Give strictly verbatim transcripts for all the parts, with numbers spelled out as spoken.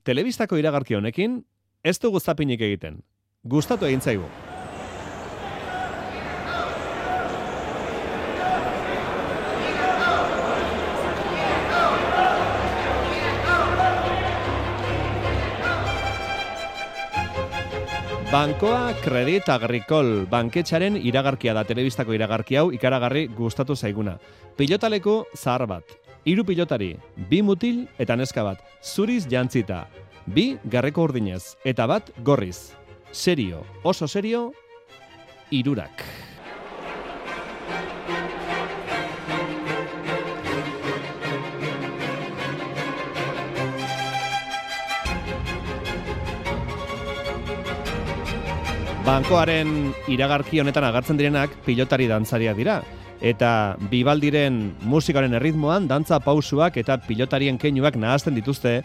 telebistako iragarki honekin ez dugu zapinik egiten. Gustatu egin zaigu. Bankoa Credit Agricole banketxaren iragarkia da, telebistako iragarki hau ikaragarri gustatu zaiguna. Pilotaleku zahar bat, hiru pilotari, bi mutil eta neska bat, zuriz jantzita, bi garreko urdinez eta bat gorriz. Serio, oso serio, hirurak. Bankoaren iragarki honetan agertzen direnak pilotari dantzariak dira. Eta Bibaldiren musikaren erritmoan dantza pausuak eta pilotarien keinuak nahazten dituzte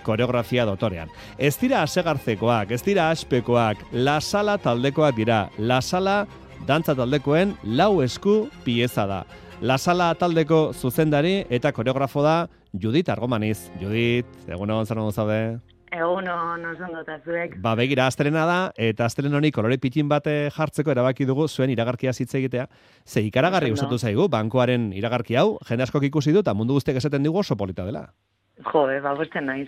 koreografia dotorean. Ez dira asegartzekoak, ez dira aspekoak, La Sala taldekoak dira. La Sala dantza taldekoen lau esku pieza da. La Sala taldeko zuzendari eta koreografo da Judit Argomaniz. Judit, egunon, zer modu zaude? Egun hon, oso ondotazuek. Ba, begira, astelena da, eta astelen honi kolore pitin bat jartzeko erabaki dugu zuen iragarkia hitz egitea. Ze ikaragarri gustatu zaigu, bankoaren iragarki hau, jende askok ikusi du, eta mundu guztiak esaten digu oso polita dela. Jo, ba, bosten naiz.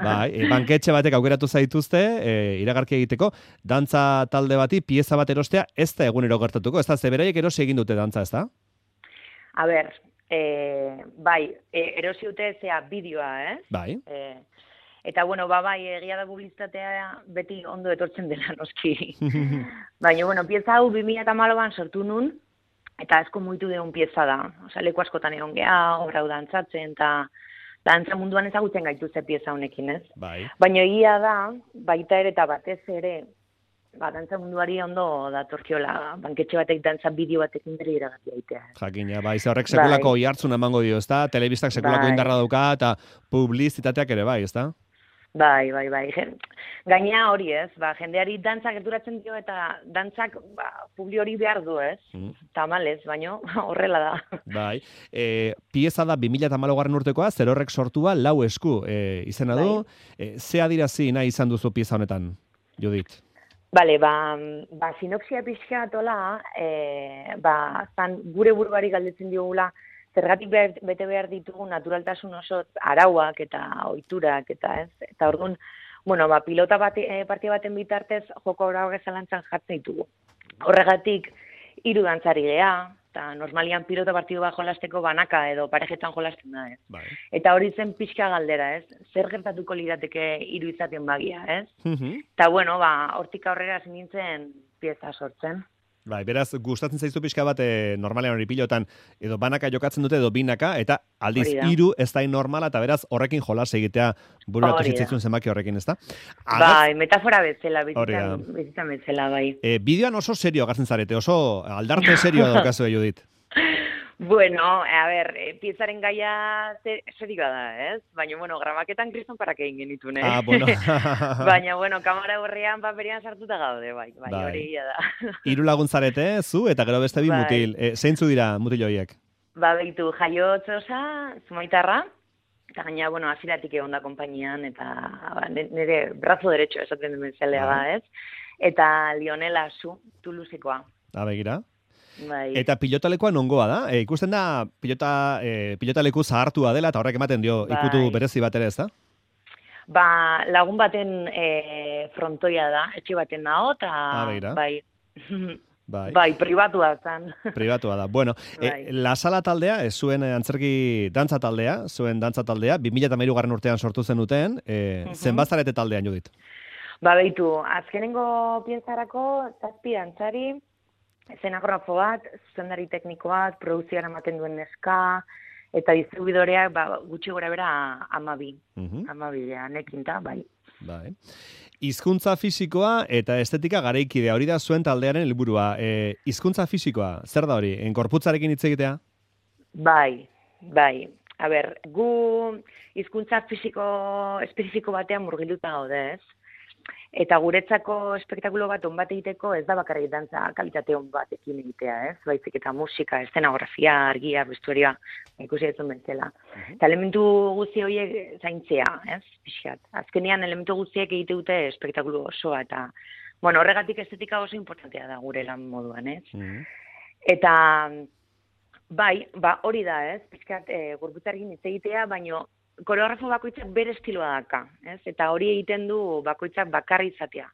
Ba, e, banketxe batek aukeratu zaituzte, e, iragarkia egiteko, dantza talde bati, pieza bat erostea, ez da egunero gertatuko, ez da, ze beraiek erosi egin dute dantza, ez da? A ber, e, bai, e, erosi dute zea bideoa, eh? Bai. E, Eta, bueno, ba, bai, egia da publizitatea beti ondo etortzen dela, noski. Baina, bueno, pieza hau bi mila hamalauan sortu nun, eta asko mugitu deun pieza da. Osa, leku askotan egon geha, obra hau dantzatzen, eta dantza munduan ezagutzen gaituzte pieza honekin, ez? Bai. Baina egia da, baita ere eta batez ere, ba, dantza munduari ondo datorkiola, banketxe batek dantza bideo batekin bere iragatia aitea. Jakina, bai, ze horrek sekulako bai. Ihartzun emango dio, ezta? Telebistak sekulako bai. Indarra dauka, eta publizitateak ere bai, ezta? Bai, bai, bai. Gainea hori ez, ba, jendeari dantzak gerturatzen dio eta dantzak ba, publi hori behar du ez, mm. tamalez, baino horrela da. Bai, e, pieza da bi mila hamalaugarren urtekoa, zer horrek sortua lau esku e, izena du, bai. e, ze adirazi nahi izan duzu pieza honetan, Judit? Bale, ba, ba sinopsia pixka atola, e, ba, zan gure buruari galdetzen diogula, zergatik behar, bete behar ditugu naturaltasun oso arauak eta ohiturak eta ez. Eta orduan, bueno, ba, pilota bat, e, partia baten bitartez joko horauak zalantzan jartzen ditugu. Horregatik, hiru dantzari geha, eta normalian pilota partidu bat jolasteko banaka edo parejetan jolasten da ez. Bai. Eta hori zen pixka galdera ez. Zer gertatuko lirateke hiru izaten bagia ez. Mm-hmm. Eta bueno, ba, hortik aurrera nintzen pieza sortzen. Bai, beraz, gustatzen zaizu pixka bat e, normalean hori pilotan edo banaka jokatzen dute edo binaka, eta aldiz hiru ez da normala, eta beraz horrekin jolas egitea bururatu zitzaizun zenbaki horrekin, ez da? Bai, metafora bezala, bizitan bezala, bai. E, bideoan oso serio agartzen zarete, oso aldarte serio daukazu, Judit. Bueno, a ber, piezaren gaia serioa da, ez? Baina, bueno, gramaketan kriston parak egin genitun, eh? Ah, bueno. Baina, bueno, kamara horrean paperian sartuta gaude, bai, bai, bai. Hori gila da. Hiru laguntzarete, zu, eta gero beste bi bai. Mutil. E, zeintzu dira mutil horiek? Ba, behitu, jaiotzosa, zumaitarra, eta gaina, bueno, aziratik egon da konpainian, eta ba, nire brazo derecho esaten duen zelea da, ez? Eta Lionela Zu, Tulusikoa. Ah, begira. Bai. Eta pilotalekoa nongoa da? E, ikusten da pilota, e, pilotaleku zahartua dela eta horrek ematen dio bai. Ikutu berezi bat ere ez da? Ba, lagun baten e, frontoia da, etxe baten naho, eta ah, bai. Bai. Bai, pribatua zan. Pribatua da. Bueno, bai. e, La Sala taldea, ez zuen antzerki dantza taldea, zuen dantza taldea, bi mila hamairugarren urtean sortu zen duten, e, uh-huh. zenbazarete taldean, Judit? Ba, behitu, azkenengo piezarako, zazpi dantzari, zenografo bat, zuzendari tekniko bat, produzioan ematen duen neska, eta distribuidoreak ba, gutxi gora bera amabi. Uh-huh. Amabi, nekinta, bai. Bai. Hizkuntza fisikoa eta estetika garaikidea, hori da zuen taldearen helburua. E, hizkuntza fisikoa, zer da hori? Gorputzarekin hitz egitea? Bai, bai. A ber, gu hizkuntza fisiko espezifiko batean murgilduta gaude, ez? Eta guretzako espektakulo bat on bat egiteko ez da bakarrik dantza kalitate on batekin egitea, ez? Baizik eta musika, eszenografia, argia, vestuarioa, ikusi duzun bezala. Uh-huh. Eta elementu guzti horiek zaintzea, ez? Pixkat. Azkenean elementu guztiek egite dute espektakulo osoa eta bueno, horregatik estetika oso importantea da gure lan moduan, ez? Uh-huh. Eta bai, ba hori da, ez? Pixkat e, gorputzarekin hitz egitea, baino koreografo bakoitzak bere estiloa daka, ez? Eta hori egiten du bakoitzak bakarri izatea.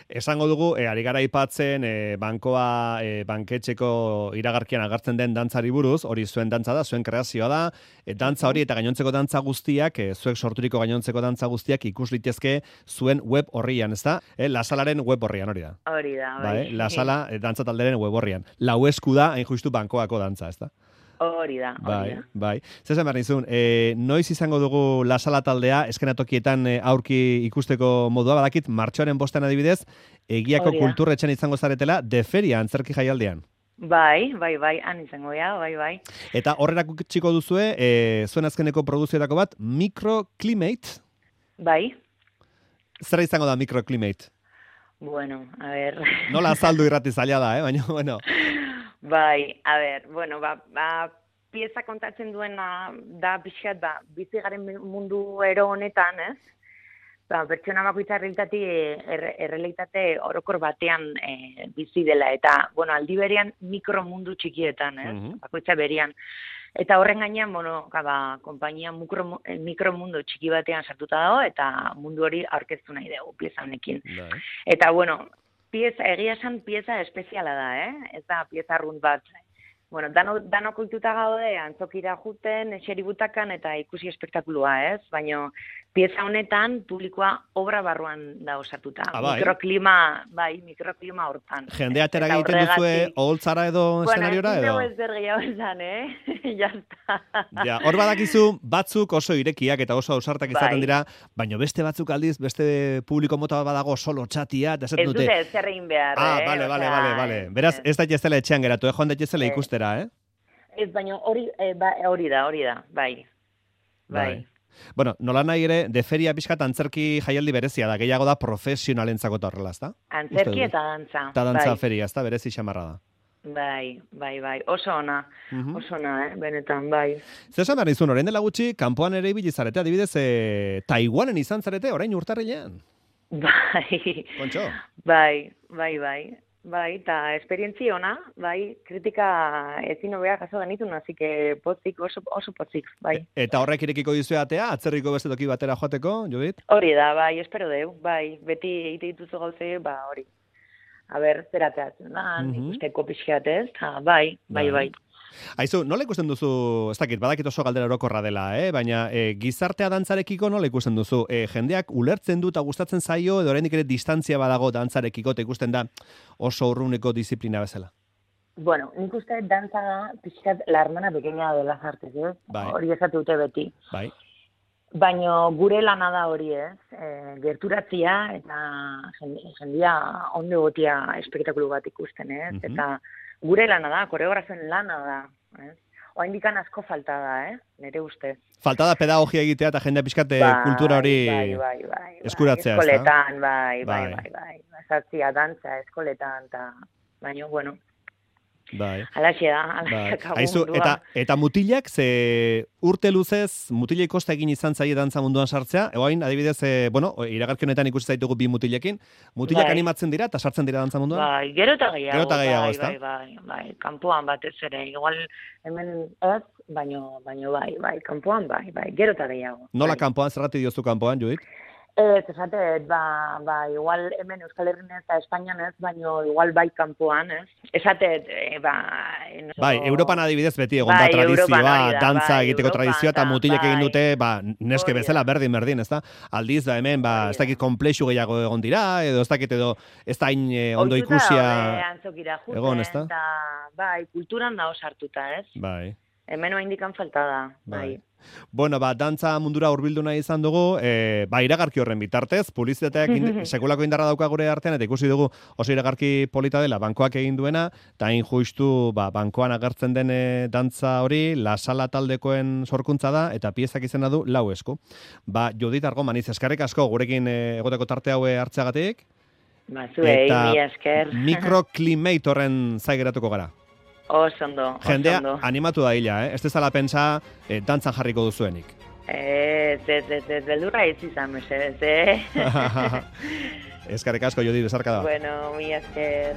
Esango dugu, e, ari gara aipatzen, e, bankoa, e, banketxeko iragarkian agertzen den dantzari buruz, hori zuen dantza da, zuen kreazioa da, e, dantza hori eta gainontzeko dantza guztiak, e, zuek sorturiko gainontzeko dantza guztiak ikus litezke zuen web horrian, ez da? E, La Salaren web horrian, hori da? Hori da, bai. Ba, e, La Sala e, dantza talderen web horrian. Lau esku da, hain justu bankoako dantza, ez da? Hori da, hori da. Bai, bai. Zesan behar nizun, e, noiz izango dugu La Sala taldea, eskenatokietan e, aurki ikusteko modua, badakit, martxoaren bostean adibidez, egiako kulturretxan izango zaretela, de feria, antzerki jaialdean. Bai, bai, bai, han izango ja, bai, bai. Eta horrerako txiko duzue, e, zuen azkeneko produziorako bat, Microclimate. Bai. Zer izango da Microclimate? Bueno, a ver. Nola azaldu irrati zaila da, eh? Baina, bueno... Bai, a ber, bueno, ba, ba, pieza kontatzen duena da pixkat, ba, bizi garen mundu ero honetan, ez? Ba, pertsona bakoitza errealitate, errealitate orokor batean e, bizi dela, eta, bueno, aldi berean mikromundu txikietan, ez? Uh-huh. Bakoitza berian. Eta horren gainean, bueno, ba, konpainia mikro, mikromundu txiki batean sartuta dago, eta mundu hori aurkeztu nahi dugu pieza honekin. Bai. Eta, bueno, pieza, egia esan pieza espeziala da, eh? Ez da pieza arrunt bat. Bueno, dano, dano kultuta gaude, antzokira juten, eseributakan eta ikusi espektakulua, ez? Baina pieza honetan publikoa obra barruan da osatuta. Ah, bai. Mikroklima, bai, mikroklima hortan. Jendea atera egiten duzue oholtzara edo eszenariora edo? Bueno, ez zer gehiago esan, eh? Jazta. Ja, hor badakizu batzuk oso irekiak eta oso ausartak izaten dira, baina beste batzuk aldiz, beste publiko mota badago solo txatia, eta esaten dute. Ez dute zer egin behar, ah, eh? Ah, bale, bale, bale, bale. Beraz, ez da jezela etxean geratu, eh? Joan daitezela ikustera, eh? Ez, baina hori, eh, ba, hori da, hori da, bai. Bai. bai. Bueno, nola nahi ere, de feria pixkat antzerki jaialdi berezia da, gehiago da profesionalentzako eta horrela, ezta? Antzerki eta dantza. Eta dantza bai. Feria, ezta, berezi xamarra da. Bai, bai, bai, oso ona, uh-huh. oso ona, eh, benetan, bai. Zesan behar nizun, orain dela gutxi, kanpoan ere ibili zarete, adibidez, e, Taiwanen izan zarete, orain urtarrilean. Bai. Kontxo? Bai, bai, bai. Bai, eta esperientzia ona, bai, kritika ezin hobea jaso genitun, así que potzik, oso, oso potzik, bai. E, eta horrek irekiko dizue atea, atzerriko beste toki batera joateko, Judit? Hori da, bai, espero deu, bai, beti egite dituzu gauze, ba, hori. A ber, zerateatzen da, uh-huh. ikusteko pixeatez, bai, bai, bai. Aizu, nola ikusten duzu, ez dakit, badakit oso galdera orokorra dela, eh? Baina e, gizartea dantzarekiko nola ikusten duzu? E, jendeak ulertzen du eta gustatzen zaio, edo oraindik ere distantzia badago dantzarekiko, eta ikusten da oso urruneko disiplina bezala? Bueno, nik uste dantza da, pixkat, la hermana pequeña de las artes, eh? Bai. Hori esatu dute beti. Bai. Baina gure lana da hori, ez? E, gerturatzia eta jendia ondo gotia espektakulu bat ikusten, ez? Uh-huh. Eta gure lana da, koreografen lana da, ez? Oaindikan asko falta da, eh? Nere ustez. Falta da pedagogia egitea eta jendea pixkate bai, kultura hori bai, bai, bai, eskuratzea, bai, eskoletan, bai, bai, bai, bai, bai. Zartzia, dantza, eskoletan, eta, baina, bueno, bai. Alaxe da, alaxe bai. Aizu, eta, eta mutilak, ze urte luzez, mutilei kosta egin izan zaie dantza munduan sartzea, egoain, adibidez, e, bueno, iragarki honetan ikusi zaitugu bi mutilekin, mutilak bai. Animatzen dira eta sartzen dira dantza munduan? Bai, gero eta gehiago, gero eta gehiago bai, bai, bai, bai, kanpoan batez ere, igual hemen ez, baino, baino bai, bai, kanpoan bai, bai, gero eta gehiago. Nola bai. Kanpoan, zerrati diozu kanpoan, Judit? Ez, esatet, ba, ba, igual hemen Euskal Herrian ez eta Espainian ez, baino igual bai kanpoan, ez? Esatet, e, ba... Enoso... Bai, Europan adibidez beti egon da bai, tradizioa, dantza bai, egiteko Europan, tradizioa, eta mutilek bai, egin dute, ba, neske oh, bezala berdin berdin, ez da? Aldiz da hemen, ba, ez dakit komplexu gehiago egon dira, edo ez dakit edo, ez da hain eh, ondo ikusia... Oituta, antzokira juten, egon, ez da? Eta, bai, kulturan da osartuta, ez? Bai. Hemen oa indikan falta da, bai. Bai. Bueno, ba, dantza mundura hurbildu nahi izan dugu, e, ba, iragarki horren bitartez, publizitateak ind sekulako indarra dauka gure artean, eta ikusi dugu oso iragarki polita dela bankoak egin duena, eta hain justu ba, bankoan agertzen den e, dantza hori, La Sala taldekoen sorkuntza da, eta piezak izena du lau esku. Ba, Judit Argomaniz, eskerrik asko gurekin e, egoteko tarte haue hartzeagatik, Ba, zuei, mi esker. Microclimatorren zai geratuko gara. Oso ondo, oso Jendea ondo. animatu da hila, eh? Ez dezala pentsa eh, dantzan jarriko duzuenik. Ez, ez, ez, ez, beldurra ez izan, mesedez, eh? Eskerrik asko, Judit, besarka da. Bueno, mi esker.